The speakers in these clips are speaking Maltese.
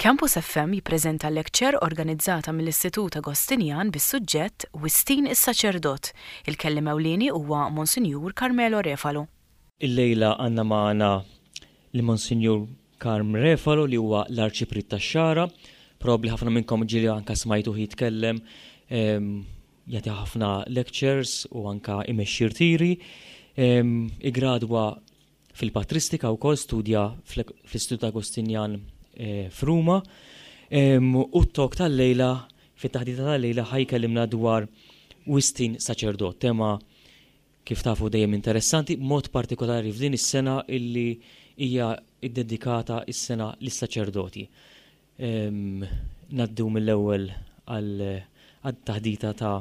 Campus FM jippreżenta lecture organizzata mill-Istitut Agostinjan bis-suġġett Wistin is-Saċerdot. Il-kelliem ewlieni huwa Monsinjur Carmelo Refalo. Illejla għandna magħna lil Monsinjur Carm Refalo li huwa l-Arċipriet tax-Xagħra. Probabbli ħafna minnkom ġieli anka smajtuh jitkellem, jagħti ħafna lectures u anka imexxi rtiri. Igradwa fil-patristika wkoll studja fl-Istitut Agostinjan eh, f'Ruma. U t-tok tal-lejla, fit-taħdita tal-lejla ħa jkellimna dwar Wistin saċerdot, tema kif tafu dejjem interessanti, mod partikolari f'din is-sena illi hija iddedikata is-sena lis-saċerdoti. Naddu mill-ewwel għal taħdita ta'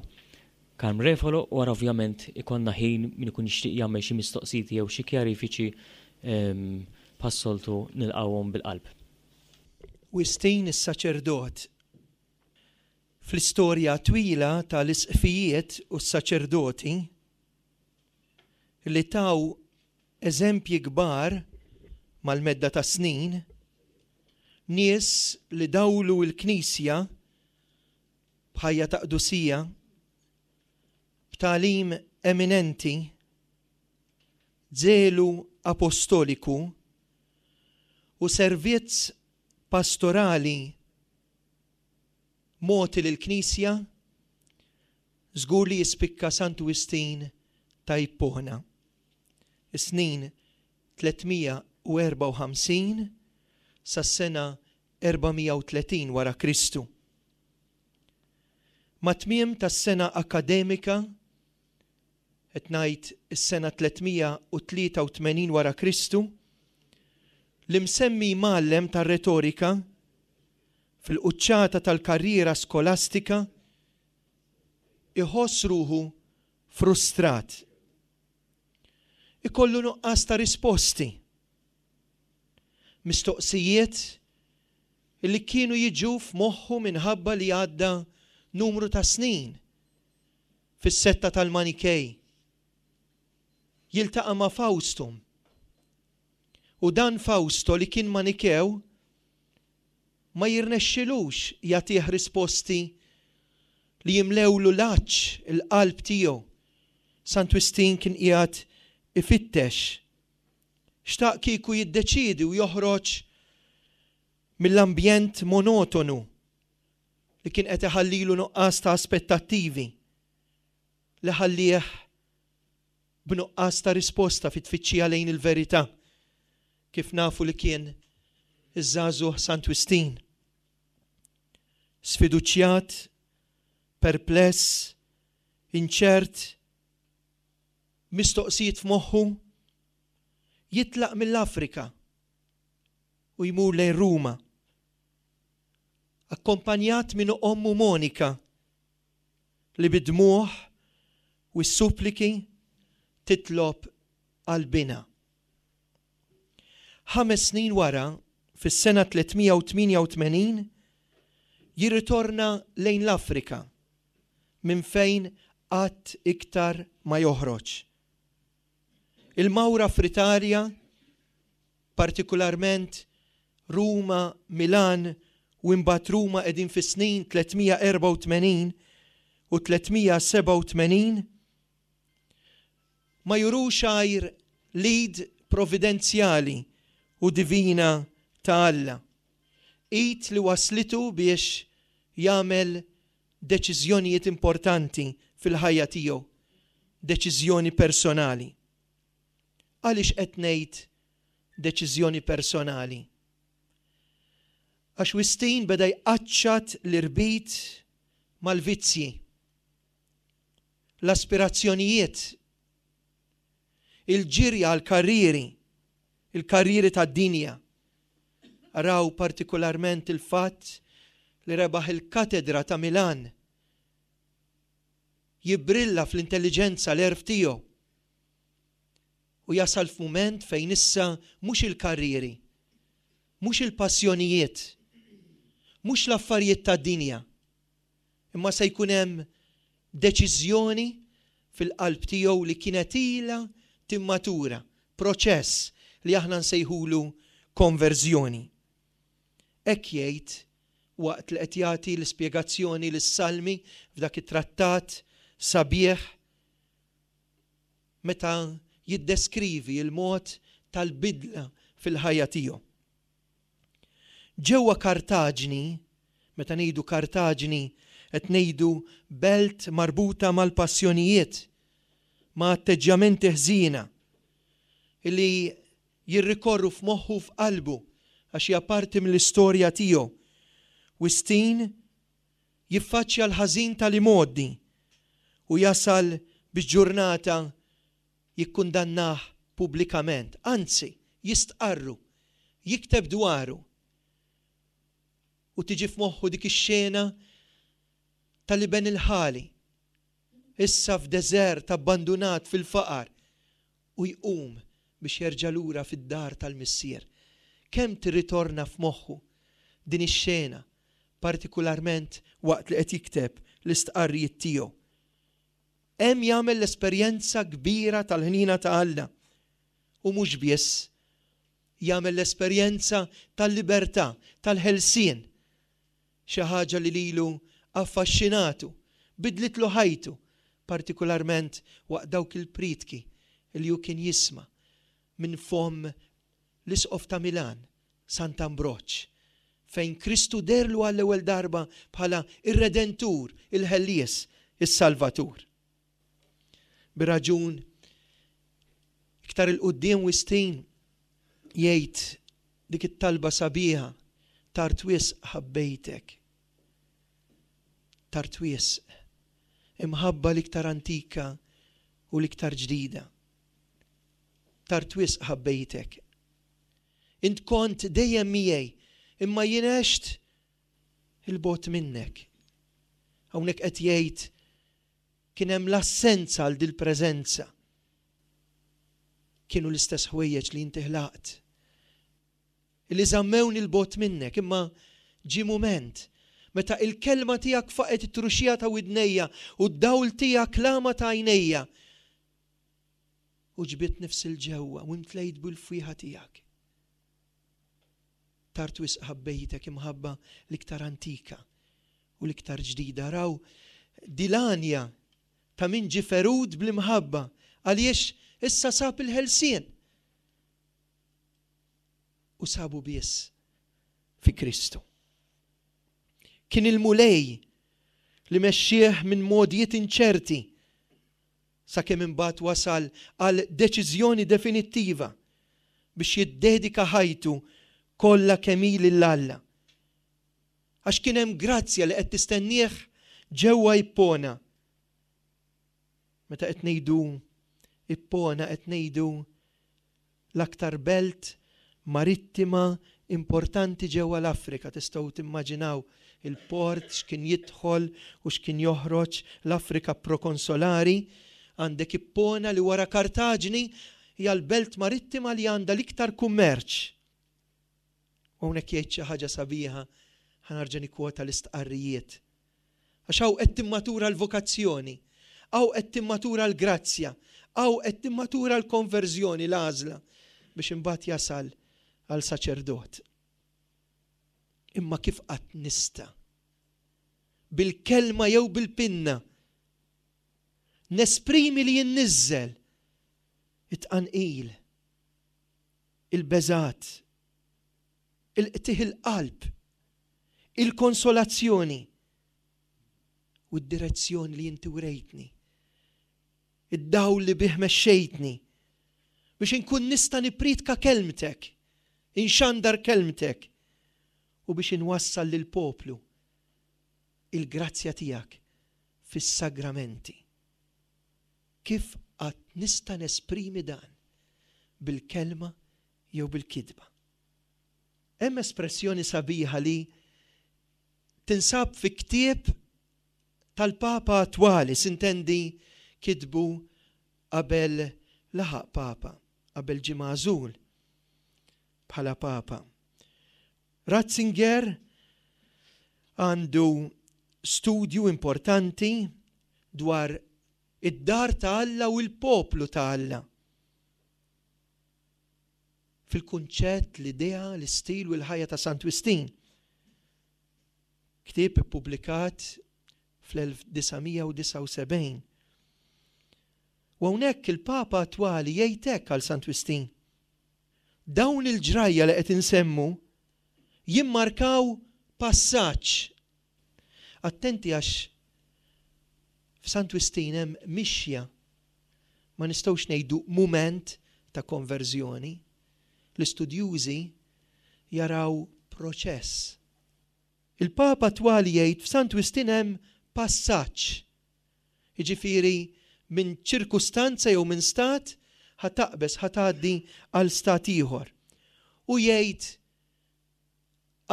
Carm Refalo u wara ovvjament ikollna ħin min ikun jixtieq jagħmel xi mistoqsijiet jew xi kjarifiċi bħas-soltu nilqgħuhom bil-qalb. Wistin is-saċerdot. Fl-istorja twila ta' l-isqfijiet u s-saċerdoti li taw eżempji kbar mal-medda tas-snin, nies li dawlu l-Knisja b'ħajja ta' qdusija, b'tagħlim eminenti, żelu apostoliku u servizz pastorali mogħti lill-Knisja, żgur li jispikka Santu Wistin ta' Ippona. Is-snin 354 sas-sena 430 wara Kristu. Mat-tmiem tas-sena akkademika, qed ngħid is-sena 383 wara Kristu, l-imsemmi mgħallem tar-retorika, fil-quċċata tal-karriera skolastika, iħoss ruħu frustrat. Ikollu nuqqas ta' risposti. Mistoqsijiet li kienu jiġu f'moħħu minħabba li għadda numru ta' snin fis-setta tal-Manikej. Jiltaqa' ma' Fawstum. U dan Fawsto li kien Manikew ma jirnexxilux jagħtih risposti li jimlewlu l-għatx il-qalb tiegħu. Sant Wistin kien qiegħed ifittex. Xtaq kieku jiddeċiedi u joħroġ mill-ambjent monotonu li kien qed iħallilu nuqqas ta' aspettattivi li ħallieh b'nuqqas ta' risposta fit-tfittxija lejn il-verità, kif nafu li kien iż-żagħżugħ Sant Wistin. Sfiduċjat, perpless, inċert, mistoqsijiet f'moħħu, jitlaq mill-Afrika u jmur lejn Ruma, akkompanjat minn ommu Monika li bid-dmugħ u s-suppliki titlob għal binha. Ħames snin wara, fis-sena 388, jirritorna lejn l-Afrika minn fejn qatt iktar ma joħroġ. Il-mawra fl-Italja, partikularment Ruma, Milan u imbagħad Ruma qegħdin fis-snin 384 u 387, ma jurux għajr l-id providenzjali u divina ta' Alla. Id li wasslitu biex jagħmel deċiżjonijiet importanti fil-ħajja tiegħu, deċiżjoni personali. Għaliex qed ngħid deċiżjoni personali? Għax Wistin beda jqaċċat l-irbit mal-vizzji, l-aspirazzjonijiet, il-ġirja għall-karrieri, il-karrieri tad-dinja. Araw partikularment il-fatt li rebaħ il-katedra ta' Milan. Jibbrilla fl-intelliġenza l-għerf tiegħu. U jasal f'mument fejn issa mhux il-karrieri, mhux il-passjonijiet, mhux l-affarijiet tad-dinja, imma se jkun hemm deċiżjoni fil-qalb tiegħu li kienet ilha timmatura, proċess li aħna nsejħulu konverżjoni. Hekk jgħid waqt li qed jagħti l-ispjegazzjoni lis-Salmi f'dak it-trattat sabiħ meta jiddeskrivi l-mod tal-bidla fil-ħajja tiegħu. Ġewwa Kartaġni, meta ngħidu Kartaġni qed ngħidu belt marbuta mal-passjonijiet, ma' atteġġjamenti ħżiena li jirrikorru f'moħħu u f'qalbu għax hija parti mill-istorja tiegħu. Wistin jiffaċċja l-ħażin tal-imgħoddi u jasal biex ġurnata jikkundannah pubblikament, anzi, jistqarru, jikteb dwaru. U tiġi f'moħħu dik ix-xena tal-iben il-ħali, issa f'deżert abbandunat fil-faqar, u jqum biex jerġa' lura fid-dar tal-Missier. Kemm tirritorna f'moħħu din ix-xena, partikularment waqt li qed jikteb l-istqarrijiet tiegħu. Hemm jagħmel l-esperjenza kbira tal-ħniena ta' Alla. U mhux biss, jagħmel l-esperjenza tal-libertà, tal-ħelsien. Xi ħaġa li lilu affaxxinatu, bidlitlu ħajtu, partikularment waqt dawk il-prietki li hu kien jisma' minn fomm l-Isqof ta' Milan, Sant'Ambroġ, fejn Kristu deherlu għall-ewwel darba bħala r-Redentur, il-Ħellies, is-Salvatur. Bir-raġun, iktar 'il quddiem Wistin jgħid dik it-talba sabiħa, Tard wisq ħabbejtek. Tard wisq. Imħabba l-iktar antika u l-iktar ġdida. Tard wisq ħabbejtek. Int kont dejjem miegħi, imma jien għext 'il bogħod minnek. Hawnhekk qed jgħid kien hemm l-assenza għal dil-preżenza. Kienu l-istess ħwejjeġ li inti ħlaqt. Li żammewni 'l bogħod minnek, imma ġie mument meta il-kelma tiegħek faqgħet it-truxija ta' widnejja u d-dawl tiegħek l-għama ta' għajnejja. U ġbidt nifsi 'l ġewwa u imtlejt bil-fwieħa tiegħek. Tard wisq ħabbejtek imħabba l-iktar antika u l-iktar ġdida. Araw dil-għanja ta' min ġie ferut bl-imħabba għaliex issa sab il-ħelsien. U sabu biss fi Kristu. Kien il-Mulej li mexxieh minn mogħdijiet inċerti sakemm imbagħad wasal għal deċiżjoni definittiva biex jiddedika ħajtu kollha kemm hi lil Alla. Għax kien hemm grazzja li qed tistennieh ġewwa Ippona. Meta qed ngħidu Ippona qed ngħidu l-aktar belt marittima importanti ġewwa l-Afrika. Tistgħu timmaġinaw il-port x'kien jidħol u x'kien joħroġ l-Afrika prokonsolari. Għandek Ippona li wara Kartaġni hija l-belt marittima li għandha l-iktar kummerċ. U hawnhekk jgħid xi ħaġa sabiħa, ħa nerġa' nikkwota l-istqarrijiet. Għax hawn qed timmatura l-vokazzjoni, hawn qed timmatura l-grazzja, hawn qed timmatura l-konverżjoni, l-għażla biex imbagħad jasal għal saċerdot. Imma kif qatt nista' bil-kelma jew bil-pinna nesprimi li jinniżżel it-tqanqil, il-beżgħat, il-qtigħ il-qalb, il-konsolazzjoni u d-direzzjoni li inti wrejtni, id-dawl li bih mexxejtni biex inkun nista' nippriedka kelmtek, inxandar kelmtek u biex inwassal lill-poplu il-grazzja tiegħek fis-sagramenti. Kif qatt nista' nesprimi dan bil-kelma jew bil-kitba? Hemm espressjoni sabiħa li tinsab fi ktieb tal-Papa attwali, sintendi kitbu qabel laħaq Papa, qabel ġie magħżul bħala Papa. Ratzinger għandu studju importanti dwar id-dar ta' Alla u l-poplu ta' Alla. Fil-kunċett, l-idea, l-istil u l-ħajja ta' Sant Wistin. Ktieb ippubblikat fl-1979. U hawnhekk il-Papa attwali jgħid hekk għal Sant Wistin. Dawn il-ġrajja li qed insemmu jimmarkaw passaġġ. Attenti għax f'Sant Wistin hemm mixja. Ma nistgħux ngħidu mument ta' konverżjoni. L-istudjużi jaraw proċess. Il-Papa attwali jgħid f'Sant Wistin hemm passaġġ. Jiġifieri minn ċirkustanza jew minn stat ħa taqbeż, ħa tgħaddi għal stat ieħor. U jgħid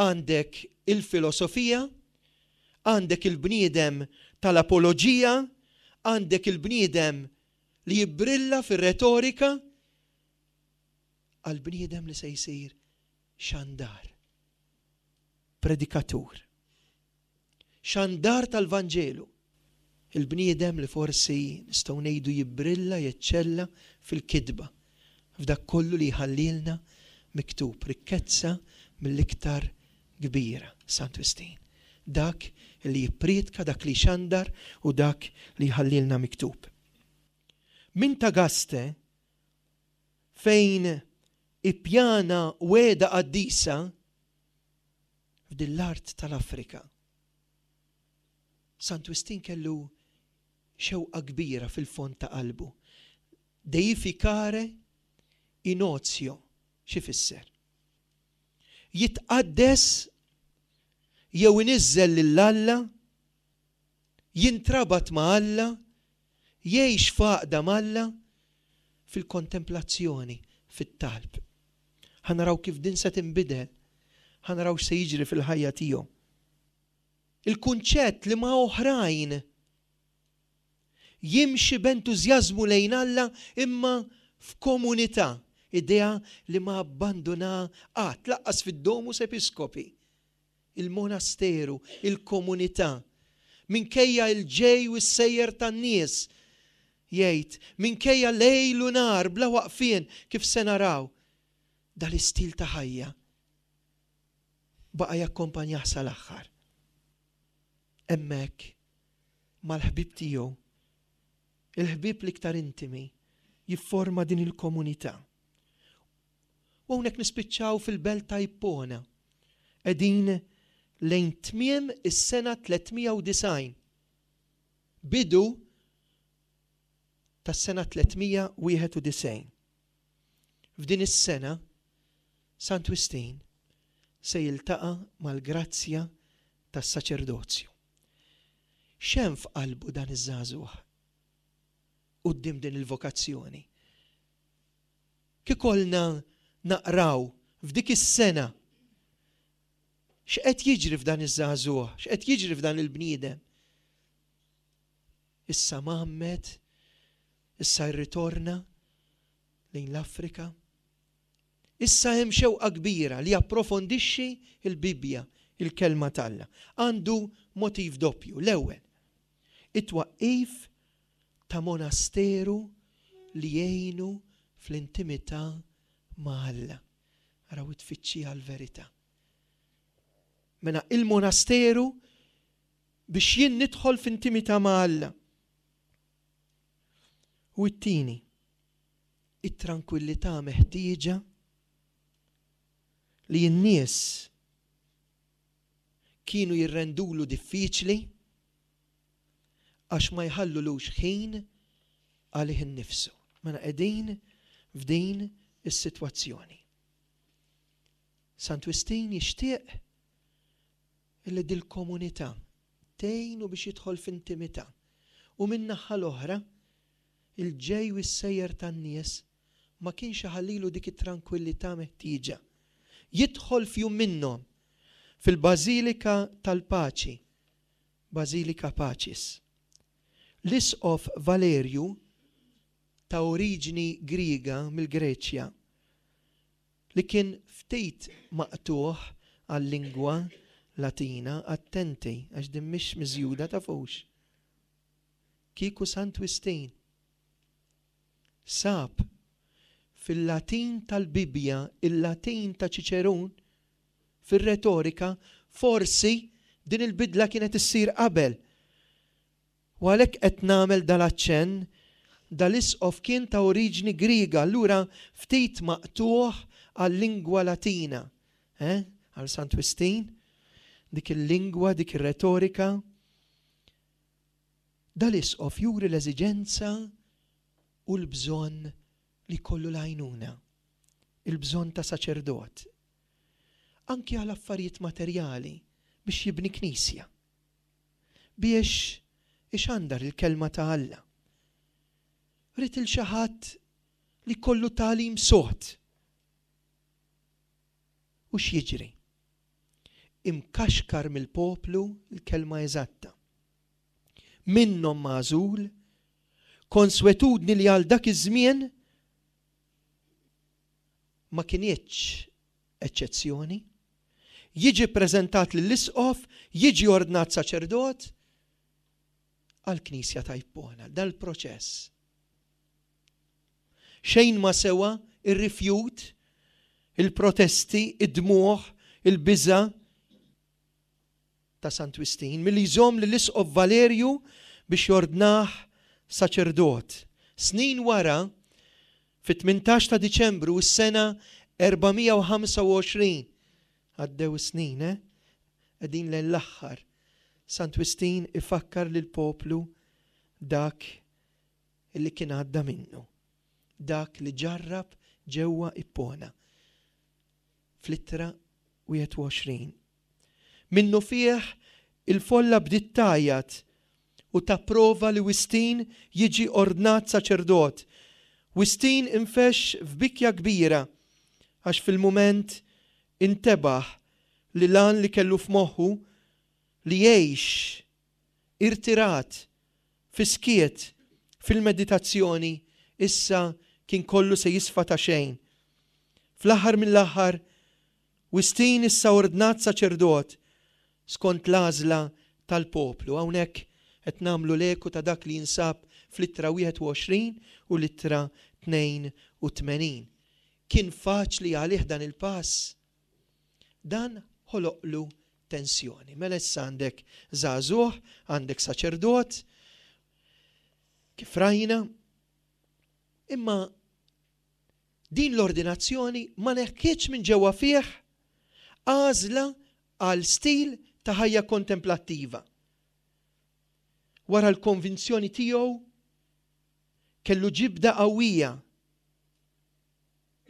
għandek il-filosofija, għandek il-bniedem tal-apoloġija, għandek il-bniedem li jibbrilla fir-retorika, għal bniedem li se jsir xandar, predikatur, xandar tal-Vanġelu, il-bniedem li forsi nistgħu ngħidu jibbrilla, jeċċella fil-kitba, f'dak kollu li jħallilna miktub, rikkezza mill-iktar kbira, Sant Wistin. Dak li jippriedka, dak li jxandar u dak li jħallilna miktub. Minn Tagaste, fejn ippjana wegħda qaddisa f'din l-art tal-Afrika. Sant Wistin kellu xewqa kbira fil-fond ta' qalbu. Deificare in ozio, x'ifisser? Jitqaddes jew iniżżel lil Alla, jintrabat ma' Alla, Jgħix f'għaqda m'Alla fil-kontemplazzjoni, fit-talb. Ħa naraw kif din se tinbidel. Ħa naraw x'se jiġri fil-ħajja tiegħu. Il-kunċett li ma' oħrajn jimxi b'entużjażmu lejn Alla imma f'komunità, idea li ma abbanduna qatt, lanqas fid-Domus Episcopi. il-monasteru, il-komunità, minkejja l-ġej u s-sejjer tan-nies, jgħid, minkejja lejl u nhar bla waqfien kif se naraw, dal-istil ta' ħajja baqa' jakkompanjah sal-aħħar. Hemmhekk, mal-ħbieb tiegħu, il-ħbieb l-iktar intimi, jifforma din il-komunità. U hawnhekk nispiċċaw fil-belt ta' Ippona. Qegħdin lejn tmiem is-sena 390. Bidu tas-sena 391. F'din is-sena, Sant Wistin se jiltaqa' mal-grazzja tas-saċerdozju. X'hemm f'qalbu dan iż-żagħżugħ quddiem din il-vokazzjoni? Kiekolna naqraw f'dik is-sena x'qed jiġri f'dan iż-żagħżugħ, x'qed jiġri f'dan il-bniedem. Issa mgħammed, issa rritorna lejn l-Afrika. Issa hemm xewqa kbira li japprofondixxi l-Bibbja, il-Kelma t'Alla. Għandu motiv doppju. L-ewwel, it-twaqqif ta' monasteru li jgħinu fl-intimità ma' Alla. Araw it-tfittxija għall-verità. Mela il-monasteru biex jien nidħol f'intimità ma' Alla. U t-tieni, it-trankwillità meħtieġa li n-nies kienu jirrendulu diffiċli għax ma jħallulux ħin għalih innifsu. Mela qegħdin f'din is-sitwazzjoni. Sant Wistin jixtieq li dil-komunità tgħinu biex jidħol f'intimità u min-naħa l-oħra il-ġej u s-sejjer tan-nies ma kienx iħallilu dik it-trankwillità meħtieġa. Jidħol f'jum minnhom fil-Bażilika tal-Paċi Basilica Pacis. L-Isqof Valerju, ta' oriġni Griega mill-Greċja, li kien ftit maqtugħ għal-lingwa Latina, attenti għax din mhix miżjuda tafux, kieku Sant Wistin sab fil-Latin tal-Bibbja il-Latin ta' Ċiċerun, Fir-retorika, forsi Din il-bidla kienet issir qabel. U għalhekk qed nagħmel dal-aċċenn, dal-isqof kien ta' oriġni Griega, allura ftit maqtugħ għal-lingwa Latina. Eh? Għal Sant Wistin, dik il-lingwa, dik ir-retorika. Dal-isqof juri l-eżiġenza u l-bżonn li jkollu l-għajnuna, il-bżonn ta' saċerdot, anki għal affarijiet materjali biex jibni knisja, biex ixandar il-kelma ta' Alla. Ried 'il xi ħadd li jkollu tagħlim sod. U x'jiġri? Imkaxkar mill-poplu l-kelma eżatta. Minnhom magħżul, konswetudni li għal dak iż-żmien ma kinitx eċċezzjoni, jiġi ppreżentat lill-isqof, jiġi ordnat saċerdot għall-Knisja ta' Ippona. Dal-proċess. Xejn ma sewa r-rifjut, il-protesti, id-dmugħ, il-biża' ta' Sant Wistin milli jżomm lill-Isqof Valerju biex jordnah saċerdot. Snin wara, fit-18 ta' Diċembru s-sena 425, għaddew is-snin, eh? Qegħdin lejn l-aħħar, Sant Wistin ifakkar lill-poplu dak li kien għadda minnu, dak li ġarrab ġewwa Ippona. Fl-ittra 21. Minnufih il-folla bdiet tgħajjat u tapprova li Wistin jiġi ordnat saċerdot. Wistin infexx f'bikja kbira għax fil-mument intebaħ li l-għan li kellu f'moħħu li jgħix irtirat, fis-skiet, fil-meditazzjoni, issa kien kollu se jisfa ta' xejn. Fl-aħħar mill-aħħar, Wistin issa ordnat saċerdot skont l-għażla tal-poplu. Hawnhekk qed nagħmlu l-eku ta' dak li jinsab fl-ittra 21 u l-ittra 82. Kien faċli għalih dan il-pass? Dan ħoloqlu tensjoni. Mela issa għandek żagħżugħ, għandek saċerdot, kif rajna, imma din l-ordinazzjoni ma neħkietx minn ġewwa fih għażla għal stil ta' ħajja kontemplattiva. Wara l-konvinzjoni tiegħu kellu ġibda qawwija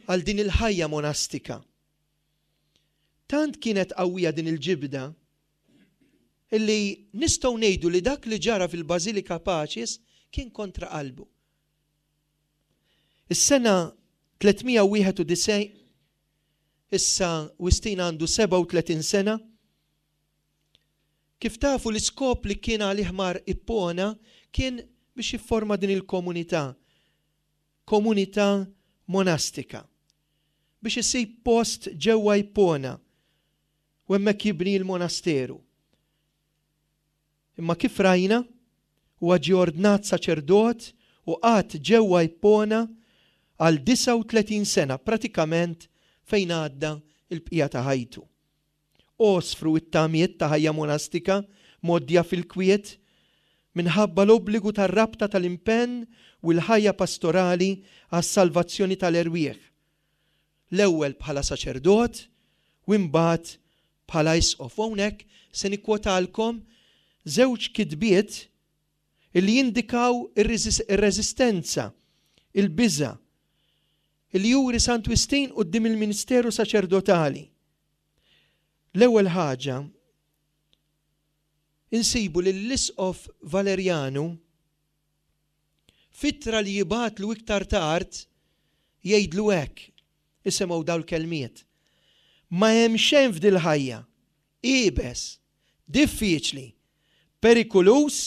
għal din il-ħajja monastika. Tant kienet qawwija din il-ġibda illi nistgħu ngħidu li dak li ġara fil-Bażilika Pacis kien kontra qalbu. Is-sena 391, issa Wistin għandu 37 sena, kif tafu l-iskop li kien għalih mar Ippona kien biex jifforma din il-komunità komunità monastika biex isib post ġewwa Ippona u hemmhekk jibni l-monasteru. Imma kif rajna, huwa ġie ordnat saċerdot u qagħad ġewwa Ippona għal 39 sena, pratikament fejn għadda l-bqija ta' ħajtu. Għosfru t-tamiet ta' ħajja monastika mgħoddija fil-kwiet minħabba l-obbligu tar-rabta tal-impenn u l-ħajja pastorali għas-salvazzjoni tal-erwieħ, l-ewwel bħala saċerdot u imbagħad bħala isqof. U hawnhekk se nikkwotalkom żewġ kitbiet li jindikaw ir-reżistenza, il-biża' li juri Sant Wistin quddiem il-ministeru saċerdotali. L-ewwel ħaġa, insibu li l-Isqof Valerjanu, f'ittra li jibgħatlu iktar tard, jgħidlu hekk, isimgħu dawn il-kelmiet, Ma hemm xejn f'dil-ħajja iebes, diffiċli, perikuluż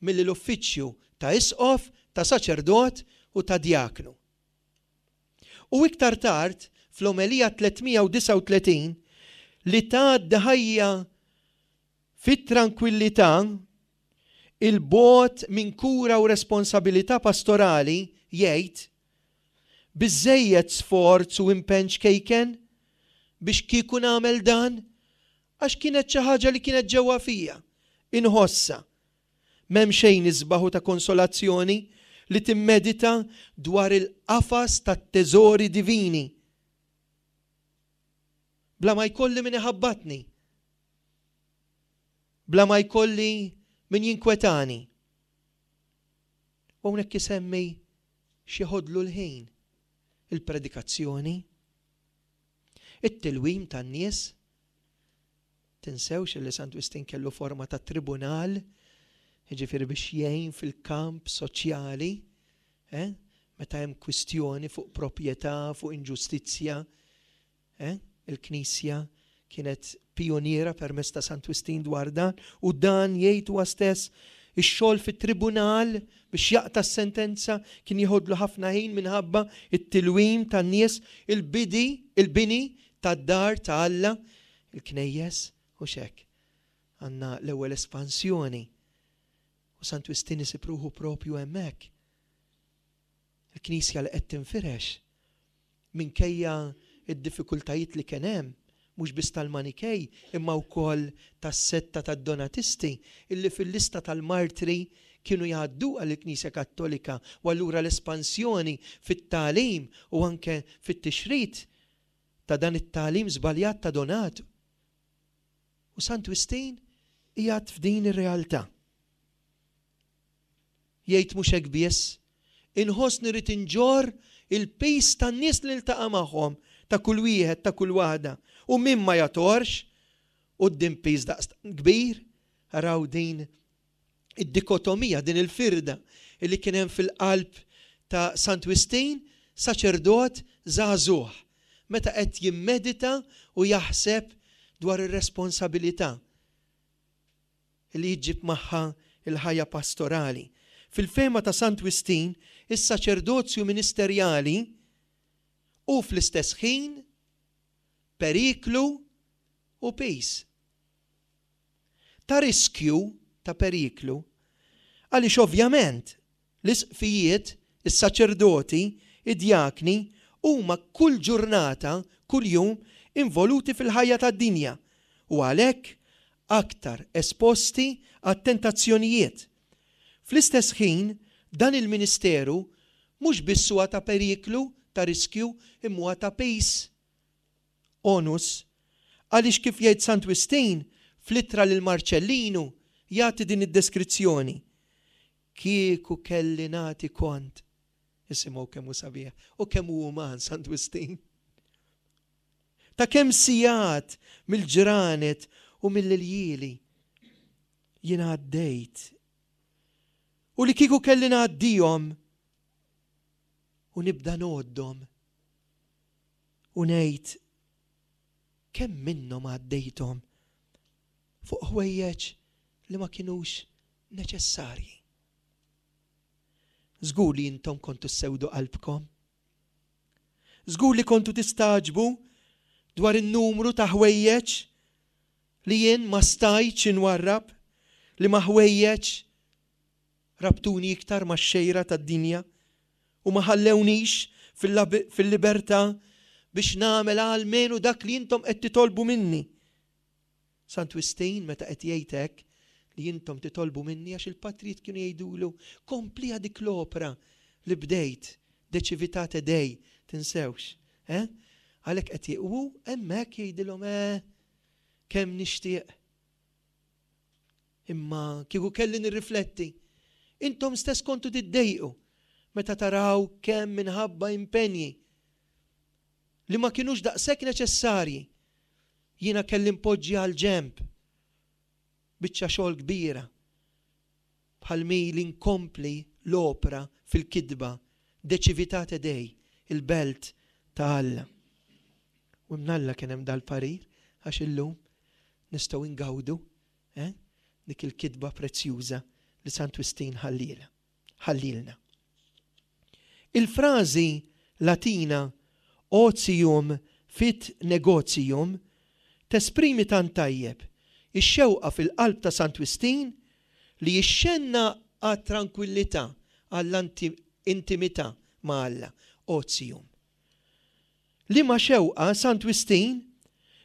milli l-uffiċċju ta' isqof, ta' saċerdot u ta' djaknu. U iktar tard, fl-Omelija 339, li tgħaddi ħajja fit-trankwillità, 'il bogħod minn kura u responsabilità pastorali, jgħid, Biżżejjed sforz u impenn ċkejken biex kieku nagħmel dan? Għax kienet xi ħaġa li kienet ġewwa fija, inħossha. M'hemm xejn isbaħ u ta' konsolazzjoni li timmedita dwar il-qafas tat-teżori divini. Bla ma jkolli min iħabbatni. Bla ma jkolli min jinkwetani. U hawnhekk isemmi x'jeħodlu l-ħin, il-predikazzjoni, it-tilwim tan-nies. Tinsewx li Sant Wistin kellu forma ta' tribunal, jiġifieri biex jgħin fil-kamp soċjali, eh? meta hemm kwistjoni fuq proprjetà, fuq inġustizzja, eh? Il-Knisja kienet pijuniera permezz ta' Sant Wistin dwar dan, u dan jgħid huwa stess, ix-xogħol fit-tribunal biex jaqta' s-sentenza kien jeħodlu ħafna ħin minħabba t-tilwim tan-nies, il-bidi, il-bini tad-dar ta' Alla, il-knejjes, hux hekk? Għandna l-ewwel espansjoni u Sant Wistin isib ruħu propju hemmhekk. Il-Knisja li qed tinfirex, minkejja d-diffikultajiet li kien hemm, mhux biss tal-Manikej imma wkoll tas-setta tad-Donatisti illi fil-lista tal-martri kienu jgħadduha lill-Knisja Kattolika u allura l-espansjoni fit-tagħlim u anke fit-tixrid ta' dan it-tagħlim żbaljat ta' Donat u Sant Wistin qiegħed f'din ir-realtà. Jgħid mhux hekk biss, inħossni rrid inġorr il-piż tan-nies li niltaqa' magħhom, ta' kull wieħed, ta' kull waħda. U min ma jagħtorx quddiem piż daqstant kbir? Araw din id-dikotomija, din il-firda li kien hemm fil-qalb ta' Sant Wistin, saċerdot żagħżugħ, meta qed jimmedita u jaħseb dwar ir-responsabilità li ġġib magħha l-ħajja pastorali. Fil-fehma ta' Sant Wistin, is-saċerdozju ministerjali hu fl-istess ħin periklu u piż. Ta' riskju, ta' periklu, għaliex ovvjament l-isqfijiet, is-saċerdoti, id-djakni huma kull ġurnata, kuljum, involuti fil-ħajja tad-dinja u għalhekk aktar esposti għat-tentazzjonijiet. Fl-istess ħin, dan il-ministeru mhux biss huwa ta' periklu, ta' riskju, imma huwa ta' piż, onus, għaliex kif jgħid Sant Wistin fl-ittra lil Marċellinu jagħti din id-deskrizzjoni, Kieku kelli nagħti kont, isimgħu kemm hu sabiħ u kemm hu uman Sant Wistin, ta' kemm sigħat mill-ġranet u mill-iljieli jien għaddejt u li kieku kelli ngħaddihom u nibda ngħoddhom u ngħid kemm minnhom għaddejthom fuq ħwejjeġ li ma kinux neċessarji. Żgur li intom kontu ssewdu qalbkom. Żgur li kontu tistagħġbu dwar in-numru ta' ħwejjeġ li jien ma stajtx inwarrab, li ma ħwejjeġ rabtuni iktar max-xejra tad-dinja u ma ħallewniex fil-libertà biex nagħmel almenu dak li intom qed titolbu minni. Sant Wistin meta qed jgħid hekk li intom titolbu minni għax il-patrijiet kienu jgħidulu kompliha dik l-opra li bdejt De Civitate Dei, tinsewx. Eh? Għalhekk qed u hemmhekk jgħidilhom eh kemm nixtieq Imma kieku kelli nirrifletti, intom stess kontu tiddejqu meta taraw kemm minħabba impenji li ma kinux daqshekk neċessarji jiena kelli npoġġi għall-ġenb biċċa xogħol kbira bħal mi li nkompli l-opra fil-kitba De Civitate Dei, il-Belt ta' Alla. U imnalla kien hemm dal-parir għax illum nistgħu ngawdu eh, dik il-kitba prezzjuża li Sant Wistin ħalliela, ħallielna. Il-frażi Latina otium fit negotium tesprimi tant tajjeb ix-xewqa fil-qalb ta' Sant Wistin li jixxenna għat-trankwillità, għall-intimità ma' Alla, otium. Liema xewqa Sant Wistin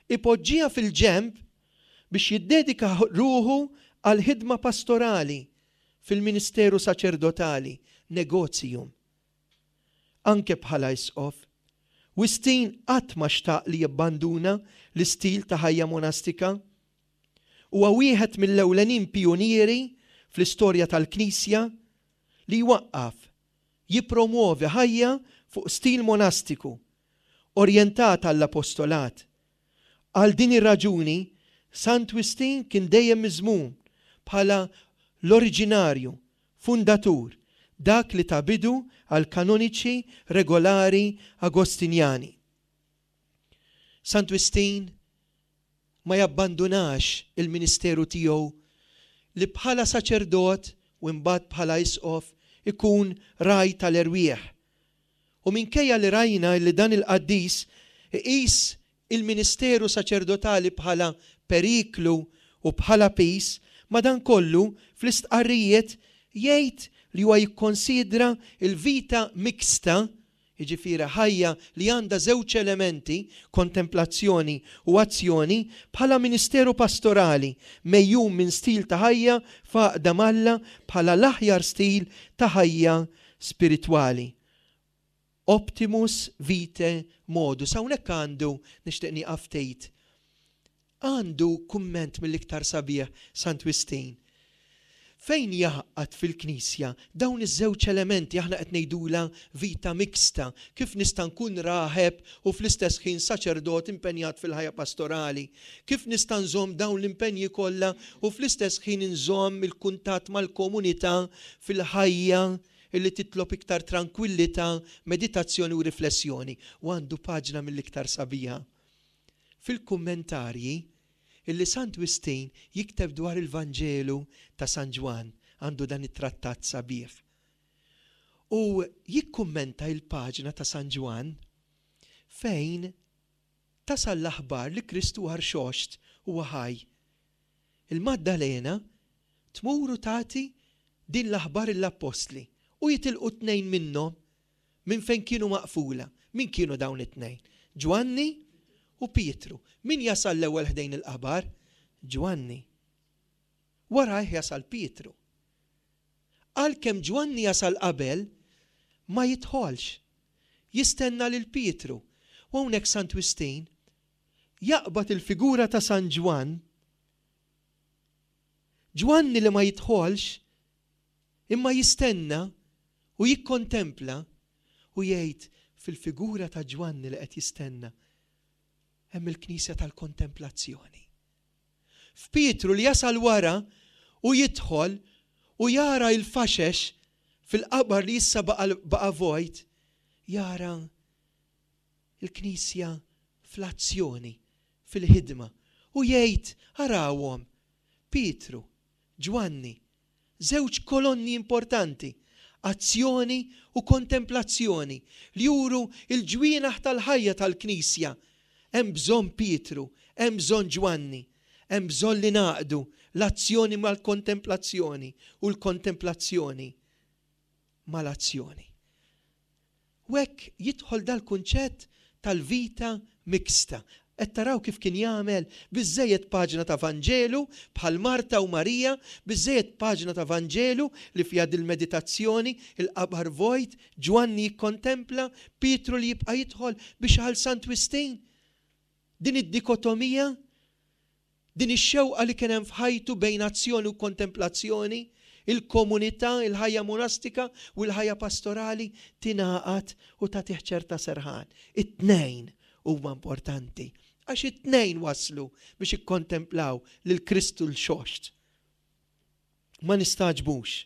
ipoġġiha fil-ġenb biex jiddedika ruħu għall-ħidma pastorali fil-ministeru saċerdotali, negotium. Anke bħala isqof, Wistin qatt ma xtaq li jibbanduna l-istil ta' ħajja monastika. Huwa wieħed mill-ewlenin pijunieri fl-istorja tal-Knisja li jwaqqaf, jippromwovi ħajja fuq stil monastiku, orjentat għall-apostolat. Għal din ir-raġuni, Sant Wistin kien dejjem miżmum bħala l-oriġinarju, fundatur, dak li ta bidu għall-kanoniċi regolari Agostinjani. Sant Wistin ma jabbandunax il-ministeru tiegħu li bħala saċerdot u imbagħad bħala isqof ikun ragħaj tal-erwieħ. U minkejja li rajna li dan il-qaddis iqis il-ministeru saċerdotali bħala periklu u bħala piż, madankollu fl-istqarrijiet jgħid li huwa jikkonsidra l-vita mixta, jiġifieri ħajja li għandha żewġ elementi, kontemplazzjoni u azzjoni, bħala ministeru pastorali, megħjun minn stil ta' ħajja f'għaqda m'Alla bħala l-aħjar stil ta' ħajja spiritwali. Optimus vitae modus. Hawnhekk għandu, nixtieq nieqaf ftit, għandu kumment mill-iktar sabiħ Sant Wistin. Fejn jgħaqqad fil-Knisja dawn iż-żewġ elementi aħna qed ngħidulha vita mixta, kif nista' nkun raħeb u fl-istess ħin saċerdot impenjat fil-ħajja pastorali? Kif nista' nżomm dawn l-impenji kollha u fl-istess ħin inżomm il-kuntatt mal-komunità fil-ħajja illi titlob iktar trankwillità, meditazzjoni u riflessjoni, u għandu paġna mill-iktar sabiħa fil-kummentarji illi Sant Wistin jikteb dwar il-Vanġelu ta' San Ġwann, għandu dan it-trattat sabiħ. U jikkummenta il-paġna ta' San Ġwann fejn tasal l-aħbar li Kristu huwa rxoxt, huwa ħaj. Il-Maddalena tmur u tagħti din l-aħbar lill-appostli u jitilqu tnejn minnhom minn fejn kienu maqfula. Min kienu dawn it-tnejn? Ġwanni u Pietru. Min jasal l-ewwel ħdejn il-qabar? Ġwanni. Warajh jasal Pietru. Għalkemm Ġwanni jasal qabel, ma jidħolx. Jistenna lil Pietru. U hawnhekk Sant Wistin jaqbad il-figura ta' San Ġwann, Ġwanni li ma jidħolx imma jistenna u jikkontempla u jgħid fil-figura ta' Ġwanni li qed jistenna hemm il-Knisja tal-kontemplazzjoni. F'Pietru li jasal wara u jidħol u jara il-faxex fil-qabar li issa baqa' vojt, jara il-Knisja fl-azzjoni, fil-ħidma, u jgħid, arawhom, Pietru, Ġwanni, żewġ kolonni importanti, azzjoni u kontemplazzjoni, li juru l-ġwienaħ tal-ħajja tal-Knisja. Hemm bżonn Pietru, hemm bżonn Ġwanni, hemm bżonn li ngħaqqdu l-azzjoni mal-kontemplazzjoni u l-kontemplazzjoni mal-azzjoni. U hekk jidħol dal-kunċett tal-vita mixta. Qed taraw kif kien jagħmel? Biżżejjed paġna ta' Vanġelu bħal Marta u Marija, biżżejjed paġna ta' Vanġelu li fiha dil-meditazzjoni, il-qabar vojt, Ġwanni jikkontempla, Pietru li jibqa' jidħol biex għal Sant Wistin. Din id-dikotomija Din ix-xewqa li kien hemm f'ħajtu bejn azzjoni u kontemplazzjoni, il-komunità, il-ħajja monastika u l-ħajja pastorali tingħaqad u tagħtih ċerta serħan. It-tnejn huma importanti għax it-tnejn wasslu biex ikkontemplaw lil Kristu l-Xoxt. Ma nistagħġbux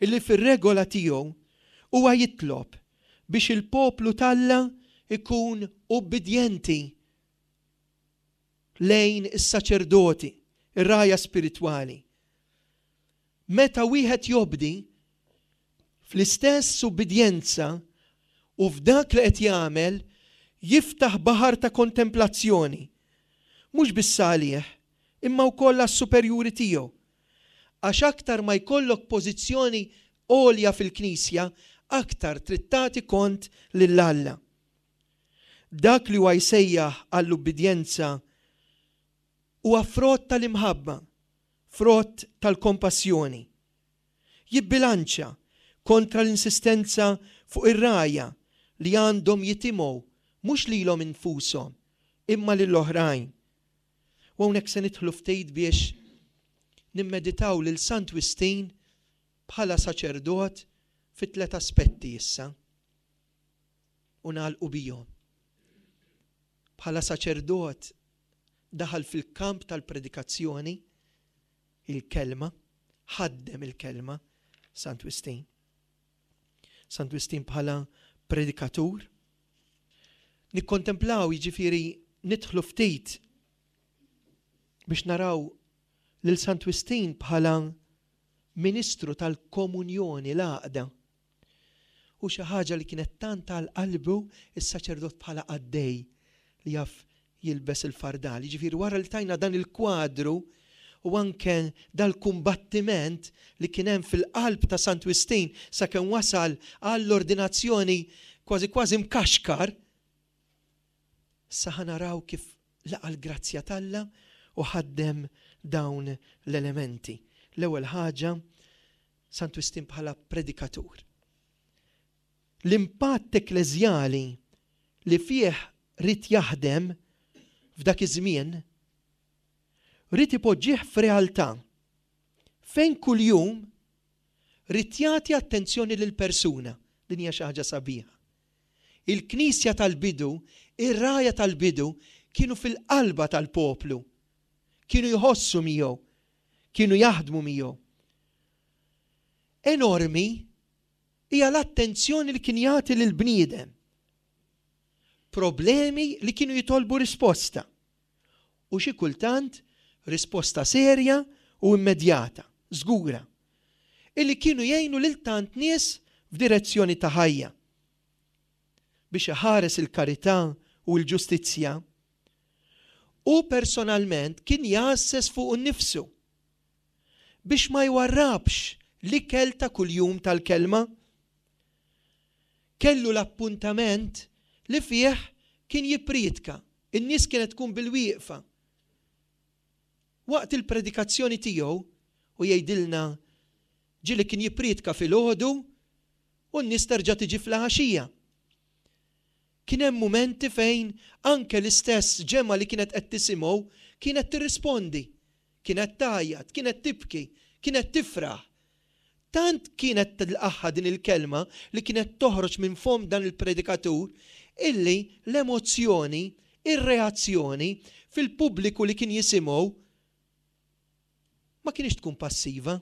illi fir-regola tiegħu huwa jitlob biex il-poplu t'Alla jkun ubbidjenti lejn is-saċerdoti, ir-rgħajja spiritwali. Meta wieħed jobdi, fl-istess ubbidjenza u f'dak li qed jagħmel jiftaħ baħar ta' kontemplazzjoni, mhux biss għalih, imma wkoll għas-superjuri tiegħu. Għax aktar ma jkollok pożizzjoni għolja fil-Knisja, aktar trid tagħti kont lil Alla. Dak li huwa jsejjaħ għall-ubbidjenza Huwa frott tal-imħabba, frott tal-kompassjoni. Jibbilanċja kontra l-insistenza fuq ir-rgħajja li għandhom jitimgħu mhux lilhom infushom imma lill-oħrajn. U hawnhekk se nidħlu ftit biex nimmeditaw lil Sant Wistin bħala saċerdot fi tlet aspetti issa u nagħlqu bihom. Bħala saċerdot daħal fil-kamp tal-predikazzjoni, il-kelma, ħaddem il-kelma, Sant Wistin. Sant Wistin bħala predikatur. Nikkontemplaw, jiġifieri nidħlu ftit biex naraw lil Sant Wistin bħala ministru tal-komunjoni, l-għaqda. U xi ħaġa li kienet tant għal qalbu s-saċerdot bħala qaddej li jaf jilbes il-fardal. Jiġifieri wara li tajna dan il-kwadru u anke dal-kumbattiment li kien hemm fil-qalb ta' Sant Wistin sakemm wasal għall-ordinazzjoni kważi kważi mkaxkar, issa ħa naraw kif laqa' l-grazzja t'Alla u ħaddem dawn l-elementi. L-ewwel ħaġa, Sant Wistin bħala predikatur. L-impatt ekkleżjali li fih ried jaħdem f'dak iż-żmien ried ipoġġih f'realtà fejn kuljum ried jagħti attenzjoni lill-persuna. Din hija xi ħaġa sabiħa. Il-Knisja tal-bidu, ir-rgħajja tal-bidu kienu fil-qalba tal-poplu. Kienu jħossu miegħu, kienu jaħdmu miegħu. Enormi hija l-attenzjoni li kien jagħti lill-bniedem. Problemi li kienu jitolbu risposta. U xi kultant risposta serja u immedjata, żgura, illi kienu jgħinu lil tant nies f'direzzjoni ta' ħajja. Biex iħares il-karità u l-ġustizzja, hu personalment kien jgħasses fuqu nnifsu biex ma jwarrabx l-ikel ta' kuljum tal-Kelma. Kellu l-appuntament li fih kien jippriedka. In-nies kienet tkun bilwieqfa. Waqt il-predikazzjoni tiegħu, u jgħidilna ġieli kien jippriedka filgħodu u n-nies terġa' tiġi fl-għaxija. Kien hemm mumenti fejn anke l-istess ġemgħa li kienet qed tisimgħu kienet tirrispondi, kienet tgħajjat, kienet tibki, kienet tifraħ. Tant kienet tilqagħha din il-kelma li kienet toħroġ minn fomm dan il-predikatur illi l-emozzjoni, ir-reazzjoni fil-pubbliku li kien jisimgħu ma kinitx tkun passiva.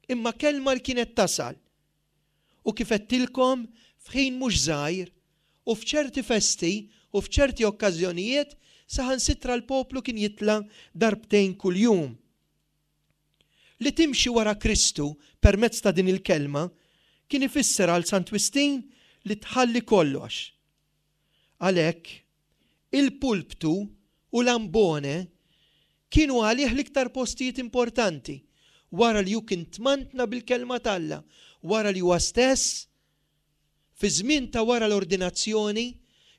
Imma kelma li kienet tasal. U kif għedtilkom, f'ħin mhux żgħir, u f'ċerti festi u f'ċerti okkażjonijiet saħansitra l-poplu kien jitla' darbtejn kuljum. Li timxi wara Kristu permezz ta' din il-kelma kien ifisser għal Sant Wistin li tħalli kollox. Għalhekk, il-pulptu u l-ambone kienu għalih l-iktar postijiet importanti wara li hu kien tmantna bil-Kelma t'Alla, wara li huwa stess, fiż-żmien ta' wara l-ordinazzjoni,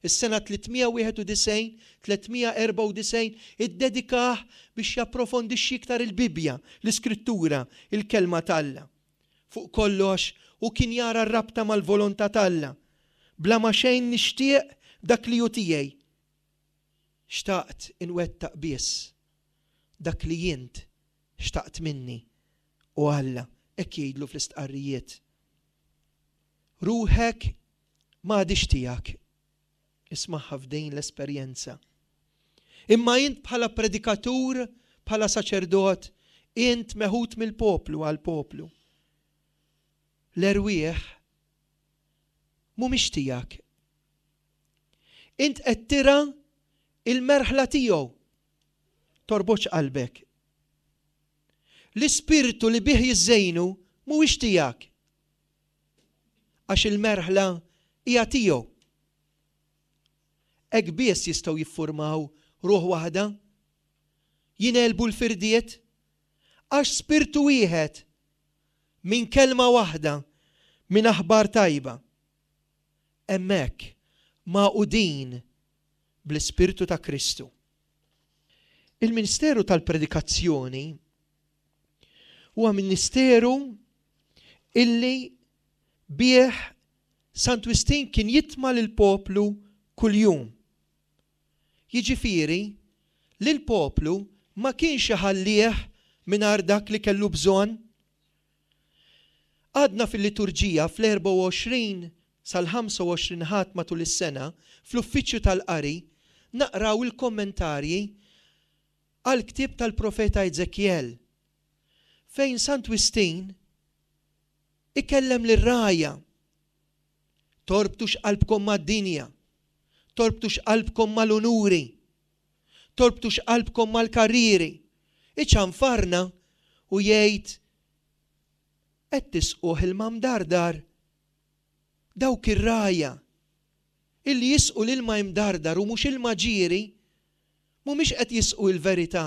is-sena 391, 394, iddedikah biex japprofondixxi iktar il-Bibbja, l-Iskrittura, il-Kelma t'Alla. Fuq kollox, hu kien jara r-rabta mal-volontà t'Alla. Bla ma xejn nixtieq dak li hu tiegħi. Xtaqt inwettaq biss dak li int xtaqt minni, O Alla, hekk jgħidlu fl-istqarrijiet. Ruħek m'għadhiex tiegħek. Ismagħha f'din l-esperjenza. Imma int bħala predikatur, bħala saċerdot, int meħud mill-poplu għall-poplu. L-erwieħ mhumiex tiegħek. Int qed tira il-merħla tiegħu. Torbotx qalbek. L-ispirtu li bih jiżżejnu mhuwiex tiegħek. Għax il-merħla hija tiegħu. Hekk biss jistgħu jiffurmaw ruħ waħda, jingħelbu l-firdiet, għax spirtu wieħed, minn kelma waħda, minn aħbar tajba. Hemmhekk magħqudin bl-Ispirtu ta' Kristu. Il-ministeru tal-predikazzjoni huwa ministeru illi bih Sant Wistin kien jitma' lill-poplu kuljum. Jiġifieri, lill-poplu ma kienx iħallih mingħajr dak li kellu bżonn. Għadna fil-liturġija fl-24 sal-25 Ħadd matul is-sena, fl-Uffiċċju tal-Qari, naqraw il-kommentarji għall-ktieb tal-profeta Eżekjel, fejn Sant Wistin ikellem lir-rgħajja, Torbtux qalbkom mad-dinja, torbtux qalbkom mal-unuri, torbtux qalbkom mal-karrieri. Iċanfarna u jgħid, Qed tisquh ilma mdardar? Dawk ir-rgħajja illi jisqu l-ilma imdardar u mhux ilma ġieri, mhumiex qed jisqu il-verità.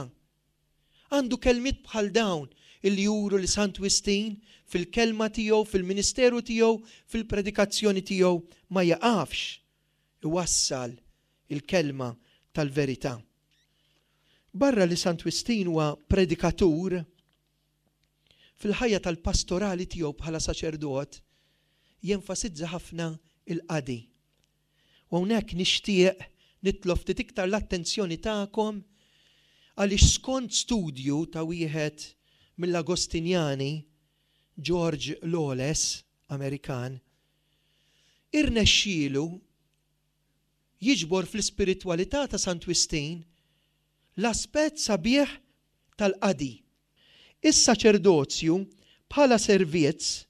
Għandu kelmiet bħal dawn illi juru li Sant Wistin, fil-kelma tiegħu, fil-ministeru tiegħu, fil-predikazzjoni tiegħu, ma jiqafx iwassal il-kelma tal-verità. Barra li Sant Wistin huwa predikatur, fil-ħajja tal-pastorali tiegħu bħala saċerdot jenfasizza ħafna il-qadi. U hawnhekk nixtieq nitlob ftit iktar l-attenzjoni tagħkom għaliex skont studju ta' wieħed mill-Agostinjani, George Lawless, Amerikan, irnexxielu jiġbor fl-ispiritwalità ta' Sant Wistin l-aspett sabiħ tal-qadi. Is-saċerdozju bħala servizz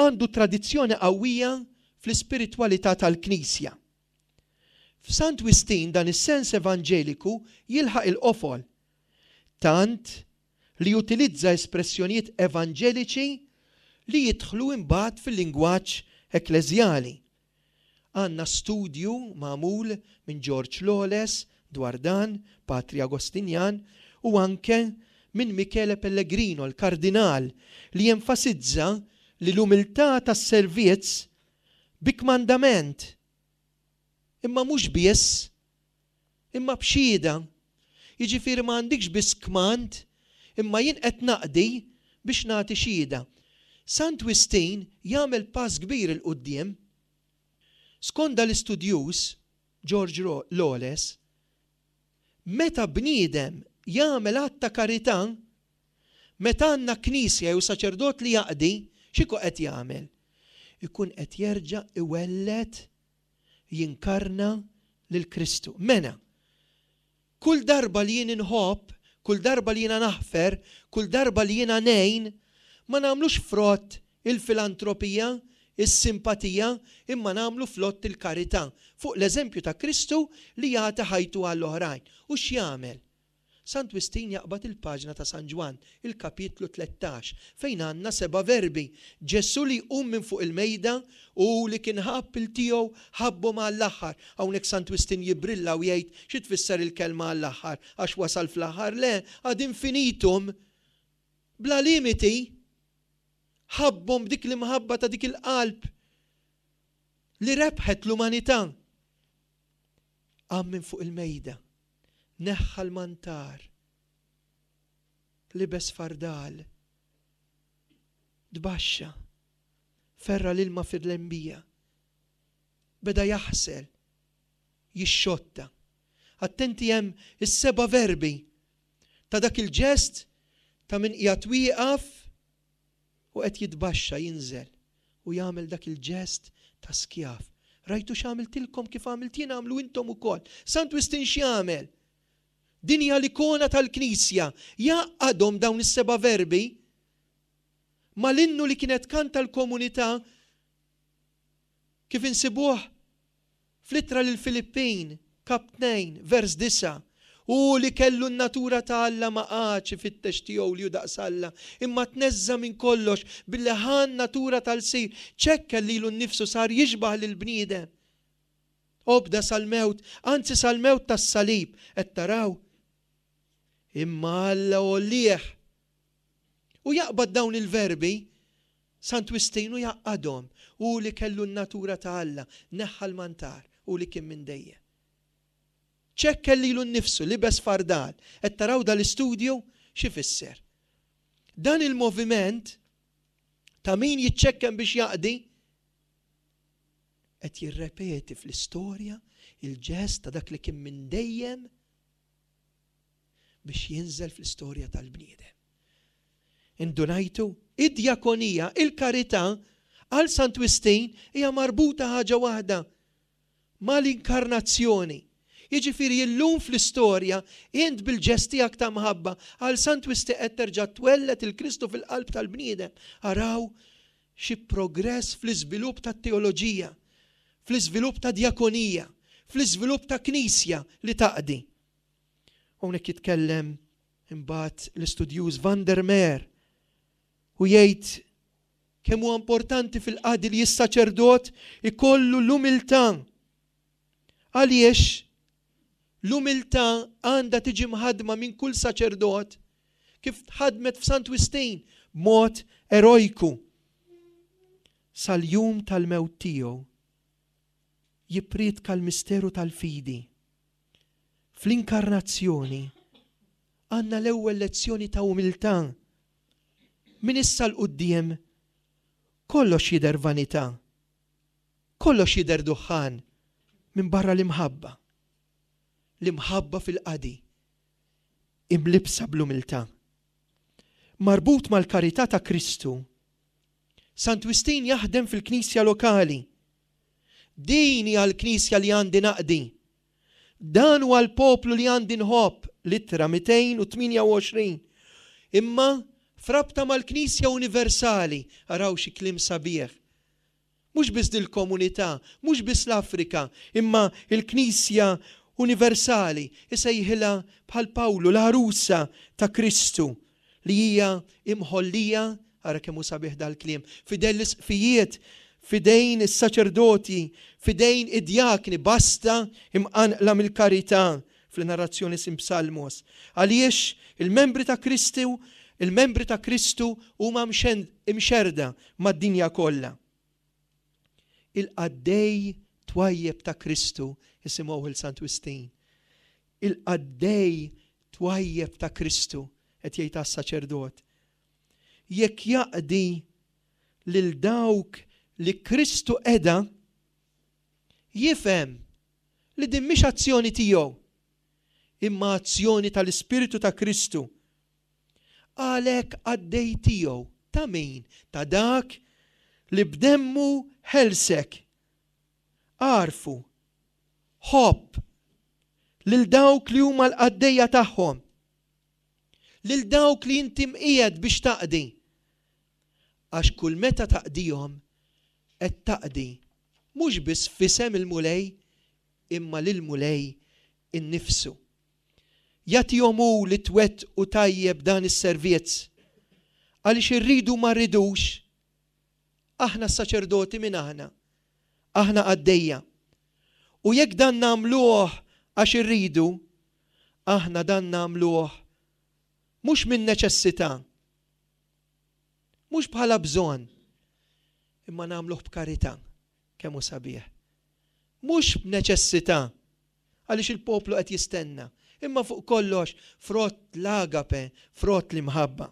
għandu tradizzjoni qawwija fl-ispiritwalità tal-Knisja. F'Sant Wistin dan is-sens evanġeliku jilħaq il-qofol, tant li jutilizza espressjonijiet evanġeliċi li jidħlu imbagħad fil-lingwaġġ ekkleżjali. Għandna studju magħmul minn George Lawless dwar dan, Patri Agostinjan, u anke minn Michele Pellegrino, l-Kardinal, li jenfasizza li l-umiltà tas-servizz bi kmandament, imma mhux biss, imma b'xhieda. Jiġifieri ma għandikx biss kmand, imma jien qed naqdi biex nagħti xhieda. Sant Wistin jagħmel pass kbir 'il quddiem. Skont dal-istudjuż, George Lawless, meta bniedem jagħmel att ta' karità, meta għandna knisja jew saċerdot li jaqdi, x'ikun qed jagħmel? Ikun qed jerġa' iwelled jinkarna lil Kristu. Mena, kull darba li jien inħobb, kull darba li jiena naħfer, kull darba li jiena ngħin, ma nagħmlux frott il-filantropija, is-simpatija, imma nagħmlu flott il-karità, fuq l-eżempju ta' Kristu li jagħti ħajtu għall-oħrajn. U x'jagħmel? Sant Wistin jaqbad il-paġna ta' San Ġwann, il-kapitlu 13, fejn għandna seba' verbi, Ġesù li jqum minn fuq il-mejda u li kien ħabb 'il tiegħu ħabbhom għall-aħħar. Hawnhekk Sant Wistin jibbrilla u jgħid xi tfisser il-kelma għall-aħħar, għax wasal fl-aħħar? Le, ad infinitum, bla limiti. Ħabbhom b'dik l-imħabba ta' dik il-qalb li rebħet l-umanità. Qam minn fuq il-mejda. Neħħa l-mantar. Libes fardal. Tbaxxa. Ferra' l-ilma fil-lembija. Beda jaħsel. Jixxotta. Attenti hemm is-seba' verbi ta' dak il-ġest ta' min qiegħed wieqaf u qed jitbaxxa, jinżel u jagħmel dak il-ġest ta' skjav. Rajtu x'għamiltilkom kif għamilt jien agħmlu intom ukoll. Sant Wistin x'jagħmel? Din hija l-ikona tal-Knisja. Jgħaqqadhom dawn is-seba' verbi mal-innu li kienet tkanta l-komunità kif insibuh Fl-Ittra lill-Filippin, Kap 2, vers 9, Hu li kellu n-natura ta' Alla ma qagħadx ifittex tiegħu li hu daqs Alla, imma tneżża' minn kollox billi ħa n-natura ta' lsir, ċekken lilu nnifsu, sar jixbah lill-bniedem. Obda sal-mewt, anzi sal-mewt tas-salib. Qed taraw? Imma Alla għollieh. U jaqbad dawn il-verbi, Sant Wistin u jgħaqqadhom, hu li kellu n-natura ta' Alla, neħħa l-mantar, hu li kien minn dejjem. Ċekken lilu nnifsu, libes fardal. Qed taraw dal-istudju x'ifisser? Dan il-moviment ta' min jiċċekken biex jaqdi qed jirrepeti fl-istorja il-ġest ta' dak li kien minn dejjem biex jinżel fl-istorja tal-bniedem. Indunajtu? Id-djakonija, il-karità, għal Sant Wistin hija marbuta ħaġa waħda mal-inkarnazzjoni. Jiġifieri illum fl-istorja, int bil-ġest tiegħek ta' mħabba għal Sant Wistin qed terġa' twelled il-Kristu fil-qalb tal-bniedem. Araw xi progress fl-iżvilupp tat-teoloġija, fl-iżvilupp ta' djakonija, fl-iżvilupp ta' Knisja li taqdi. Hawnhekk jitkellem imbagħad l-istudjuż Van der Meer u jgħid kemm huwa importanti fil-qadi li s-saċerdot ikollu l-umiltà. Għaliex l-umiltà għandha tiġi mħaddma minn kull saċerdot kif tħaddmet f'Sant Wistin b'mod erojku. Sal-jum tal-mewt tiegħu jippriedka l-misteru tal-fidi. Fl-inkarnazzjoni għandna l-ewwel lezzjoni ta' umiltà. Minn issa 'l quddiem kollox jidher vanità, kollox jidher duħħan minbarra l-imħabba. L-imħabba fil-qadi, imlibbsa bl-umiltà. Marbut mal-karità ta' Kristu, Sant Wistin jaħdem fil-knisja lokali. Din hija l-knisja li għandi naqdi. Dan huwa l-poplu li għandi nħobb, l-ittra 228. Imma f'rabta mal-Knisja universali, araw xi kliem sabiħ. Mhux biss dil-komunità, mhux biss l-Afrika, imma l-Knisja universali, isejħilha bħal Pawlu l-għarusa ta' Kristu, li hija imħollija, ara kemm hu sabiħ dal-kliem, f'idejn l-isqfijiet, f'idejn is-saċerdoti, f'idejn id-djakni, basta imqanqla mill-karità, fl-narrazzjoni Sim Psalmos. Għaliex il-membri ta' Kristu, il-membri ta' Kristu huma mxerrda mad-dinja kollha. Il-qaddej twajjeb ta' Kristu, isimgħuh 'il Sant Wistin. Il-qaddej twajjeb ta' Kristu, qed jgħid għas-saċerdot, jekk jaqdi lil dawk li Kristu qeda, jifhem li din mhix azzjoni tiegħu, imma azzjoni tal-Ispirtu ta' Kristu. Għalhekk qaddej tiegħu, ta' min? Ta' dak li b'demmu ħelsek. Agħrfu, ħobb lil dawk li huma l-qaddejja tagħhom, lil dawk li inti mqiegħed biex taqdi, għax kull meta taqdihom qed taqdi mhux biss f'isem il-Mulej imma lill-Mulej innifsu. Jagħtihom hu li twettqu tajjeb dan is-servizz, għaliex irridu ma rridux, Aħna s-saċerdoti min aħna? Aħna qaddejja. U jekk dan nagħmluh għax irridu, aħna dan nagħmluh mhux minn neċessità, mhux bħala bżonn, imma nagħmluh b'karità. Kemm hu sabiħ. Mhux b'neċessità, għaliex il-poplu qed jistenna, imma fuq kollox frott l-agape, frott l-imħabba.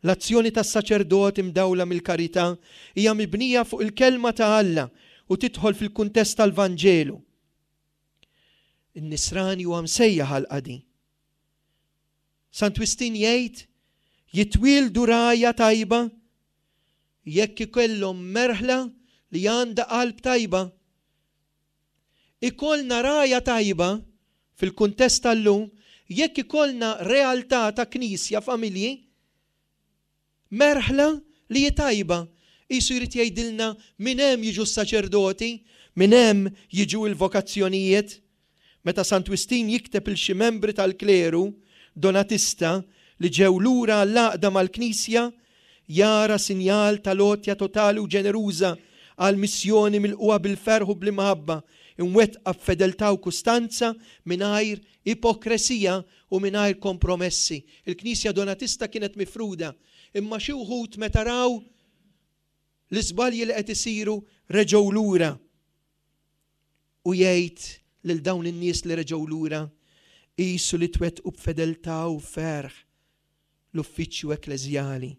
L-azzjoni tas-saċerdot imdawla mill-karità hija mibnija fuq il-Kelma ta' Alla u tidħol fil-kuntest tal-Vanġelu. In-Nisrani huwa msejjaħ għall-qadi. Sant Wistin jgħid, Jitwieldu rgħajja tajba jekk ikollhom merħla li għandha qalb tajba. Ikollna rgħajja tajba, fil-kuntest tal-lum, jekk ikollna realtà ta' Knisja, familji, merħla li hi tajba. Qisu jrid jgħidilna minn hemm jiġu s-saċerdoti, minn hemm jiġu l-vokazzjonijiet. Meta Sant Wistin jikteb 'il xi membri tal-kleru Donatista li ġew lura għall-għaqda mal-Knisja, jara sinjal tal-għotja totali u ġeneruża għall-missjoni milqugħa bil-ferħ u bl-imħabba, imwettqa b'fedeltà u kustanza mingħajr ipokresija u mingħajr kompromessi. Il-Knisja Donatista kienet mifruda, imma xi wħud meta raw l-iżbalji li qed isiru reġgħu lura. U jgħid lil dawn in-nies li reġgħu lura, qisu li twettqu b'fedeltà u ferħ l-uffiċċju ekkleżjali.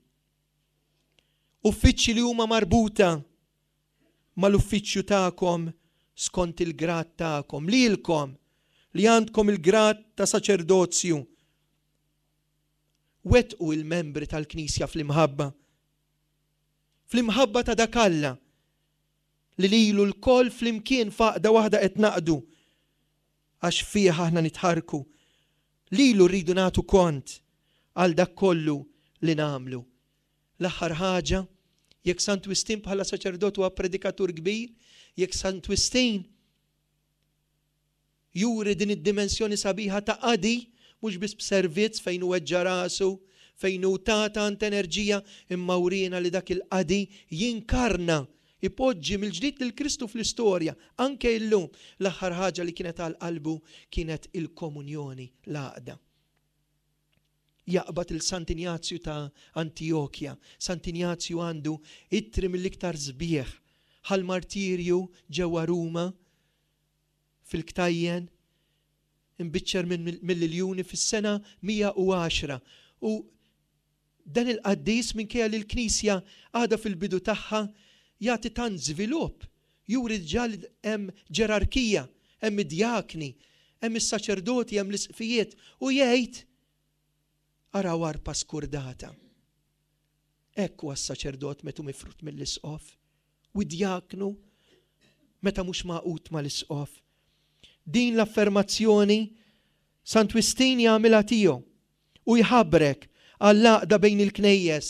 Uffiċċji li huma marbuta mal-uffiċċju tagħkom skont il-grad tagħkom, lilkom li għandkom il-grad ta' saċerdozju. Wettqu il-membri tal-Knisja fl-imħabba. Fl-imħabba ta' dak Alla li lilu lkoll flimkien f'għaqda waħda qed naqdu għax fih aħna nitħarrku. Lilu rridu nagħtu kont għal dak kollu li nagħmlu. L-aħħar ħaġa, jekk Sant Wistin bħala saċerdot huwa predikatur kbir, jekk Sant Wistin juri din id-dimensjoni sabiħa ta' qadi, mhux biss b'servizz fejn hu weġġa' rasu, fejn hu ta tant enerġija, imma wriena li dak il-qadi jinkarna, ipoġġi mill-ġdid lil Kristu fl-istorja, anke illum. L-aħħar ħaġa li kienet għal qalbu kienet il-komunjoni, l-għaqda. Jaqbad il Sant'Injazju ta' Antijokja. Sant'Injazju għandu ittri mill-iktar sbieħ ħall-martirju ġewwa Ruma, fil-ktajjen, imbiċċer mill-iljuni fis-sena 110. U dan il-qaddis minkejja li l-Knisja għadha fil-bidu tagħha jagħti tant żvilupp, juri diġà li hemm ġerarkija, hemm id-djakni, hemm is-saċerdoti, hemm l-isqfijiet, u jgħid, Araw arpa skurdata. Hekk huwa s-saċerdot meta hu mifrud mill-isqof, u d-djaknu meta mhux magħqud mal-isqof. Din l-affermazzjoni Sant Wistin jagħmilha tiegħu u jħabrek għall-għaqda bejn il-knejjes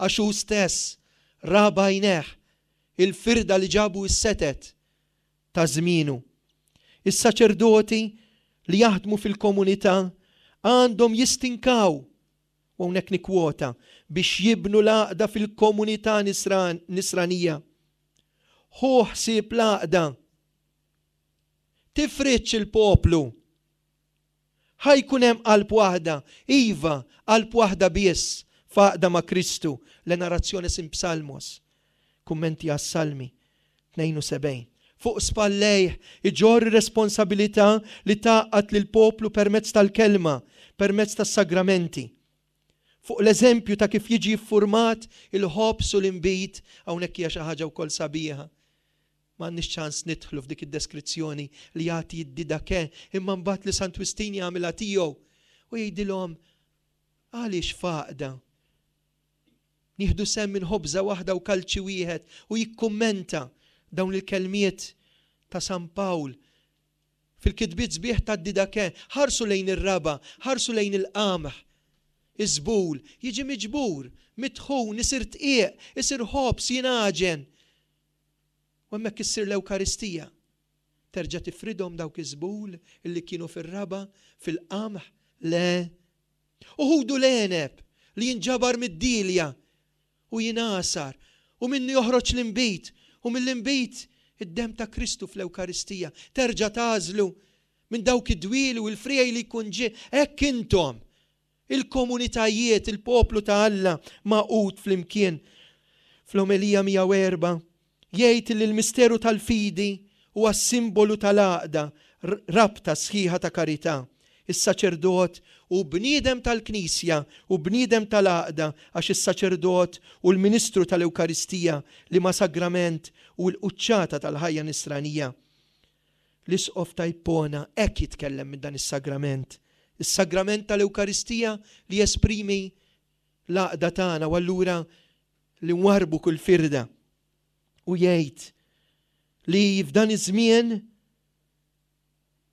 għax hu stess ra b'għajnejh il-firda li ġabu s-setet ta' żmienu. Is-saċerdoti li jaħdmu fil-komunità għandhom jistinkaw, u hawnhekk nikkwota, biex jibnu l-għaqda fil-komunità nisranija. Ħu ħsieb l-għaqda. Tifridx il-poplu. Ħa jkun hemm qalb waħda, iva, qalb waħda biss, f'għaqda ma' Kristu, Le Narrationes in Psalmos, Kummenti għas-Salmi, 72. Fuq spallejh iġorr ir-responsabilità li tgħaqqad lill-poplu permezz tal-kelma, permezz tas-sagramenti. Fuq l-eżempju ta' kif jiġi ffurmat il-ħobż u l-inbid, hawnhekk hija xi ħaġa wkoll sabiħa. M'għandniex ċans nidħlu f'dik id-deskrizzjoni li jagħti d-Didakè imma mbagħad li Sant Wistin jagħmilha tiegħu u jgħidilhom għaliex f'għaqda nieħdu sehem minn ħobża waħda u kalċi wieħed u jikkummenta dawn il-kelmiet ta' San Pawl fil-kitbiet sbieħ tad-Didakè, ħarsu lejn ir-raba', ħarsu lejn il-qamħ, iż-żbul, jiġi miġbur, mitħun, isir dqiq, isir ħobż, jingħaġen. U hemmhekk issir l-Ewkaristija. Terġa' tifridhom dawk iż-żbul li kienu fir-raba', fil-qamħ? Le. U ħudu l-għeneb li jinġabar mid-dielja u jingħasar, u minnu joħroġ l-inbid, u mill-inbid id-demm ta' Kristu fl-Ewkaristija. Terġa' tagħżlu minn dawk id-dwieli u l-friegħi li jkun ġie. Hekk intom, il-komunitajiet, il-poplu ta' Alla magħqud flimkien. Fl-Omelija 104 jgħid li l-misteru tal-fidi huwa s-simbolu tal-għaqda, rabta sħiħa ta' karità. Is-saċerdot hu bniedem tal-Knisja u bniedem tal-għaqda għax is-saċerdot hu l-ministru tal-Ewkaristija, liema sagrament hu l-quċċata tal-ħajja nisranija. L-Isqof ta' Ippona hekk jitkellem minn dan is-sagrament, is-sagrament tal-Ewkaristija li jesprimi l-għaqda tagħna u allura li nwarrbu kull firda. U jgħid li f'dan iż-żmien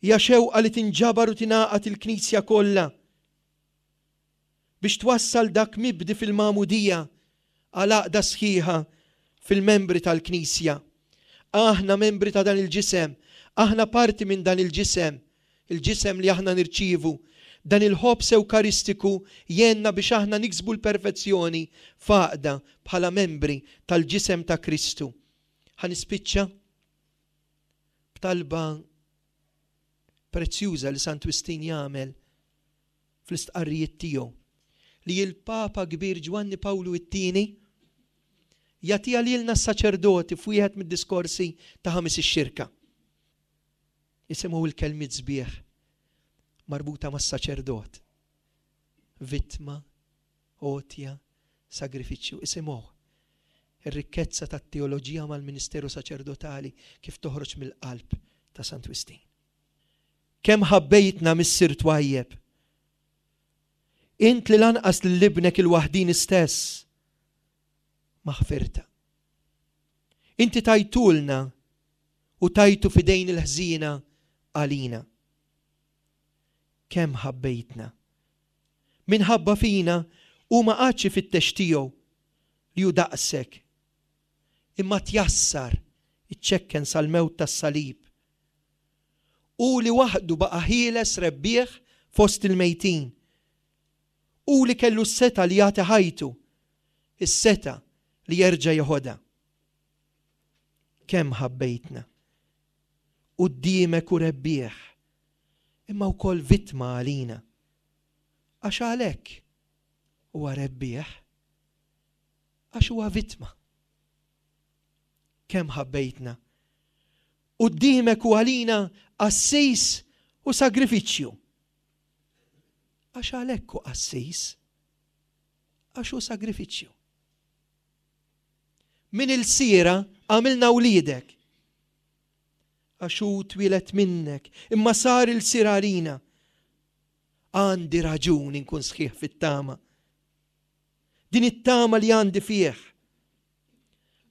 hija xewqa li tinġabar u tingħaqad il-Knisja kollha biex twassal dak mibdi fil-magħmudija għal għaqda sħiħa fil-membri tal-Knisja. Aħna membri ta' dan il-ġisem, aħna parti minn dan il-ġisem, il-ġisem li aħna nirċievu. Dan il-ħobż Ewkaristiku jgħinna biex aħna niksbu l-perfezzjoni f'għaqda bħala membri tal-ġisem ta' Kristu. Ħa nispiċċa b'talba prezzjuża li Sant Wistin jagħmel fl-istqarrijiet tiegħu li l-Papa kbir Ġwanni Pawlu it-Tieni jagħtiha lilna s-saċerdoti f'wieħed mid-diskorsi ta' Ħamis ix-Xirka. Isimgħu l-kelmiet sbieħ marbuta mas-saċerdot. Vittma, għotja, sagrifiċċju. Isimgħu ir-rikkezza tat-teoloġija mal-ministeru saċerdotali kif toħroġ mill-qalb ta' Sant Wistin. Kemm ħabbejtna Missier twajjeb! Int li lanqas lil ibnek il-waħdini stess ma ħfirta. Inti tajtulna u tajtu f'idejn il-ħżiena għalina. Kemm ħabbejtna! Minħabba fina hu ma qagħadx ifittex tiegħu li hu daqsek, imma tjassar, iċċekken sal-mewt tas-salib. Hu li waħdu baqa' ħieles rebbieħ fost il-mejtin. Hu li kellu s-setgħa li jagħti ħajtu, is-setgħa li jerġa' jeħodha. Kemm ħabbejtna! Quddiemek hu rebbieħ, imma wkoll vittma għalina. Għax għalhekk huwa rebbieħ, għax huwa vittma. Kemm ħabbejtna! Quddiemek hu għalina qassis u sagrifiċċju. Għax għalhekk hu qassis, għax hu sagrifiċċju. Minn ilsiera għamilna wliedek. Għax hu twieled minnek, imma sar ilsir għalina. Għandi raġun inkun sħiħ fit-tama. Din it-tama li għandi fih.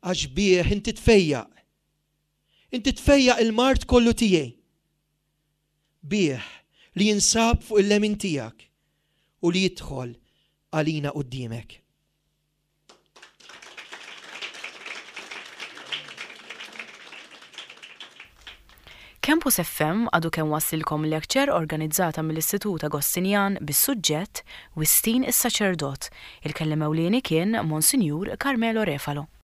Għax bih inti tfejjaq. Inti tfejjaq il-mard kollu tiegħi. Bih li jinsab fuq il-lemin tiegħek u li jidħol għalina quddiemek. Campus FM għadu kemm wasslilkom lecture organizzata mill-Istitut Agostinjan bis-suġġett Wistin is-Saċerdot. Il-kelliem ewlieni kien Monsinjur Carmelo Refalo.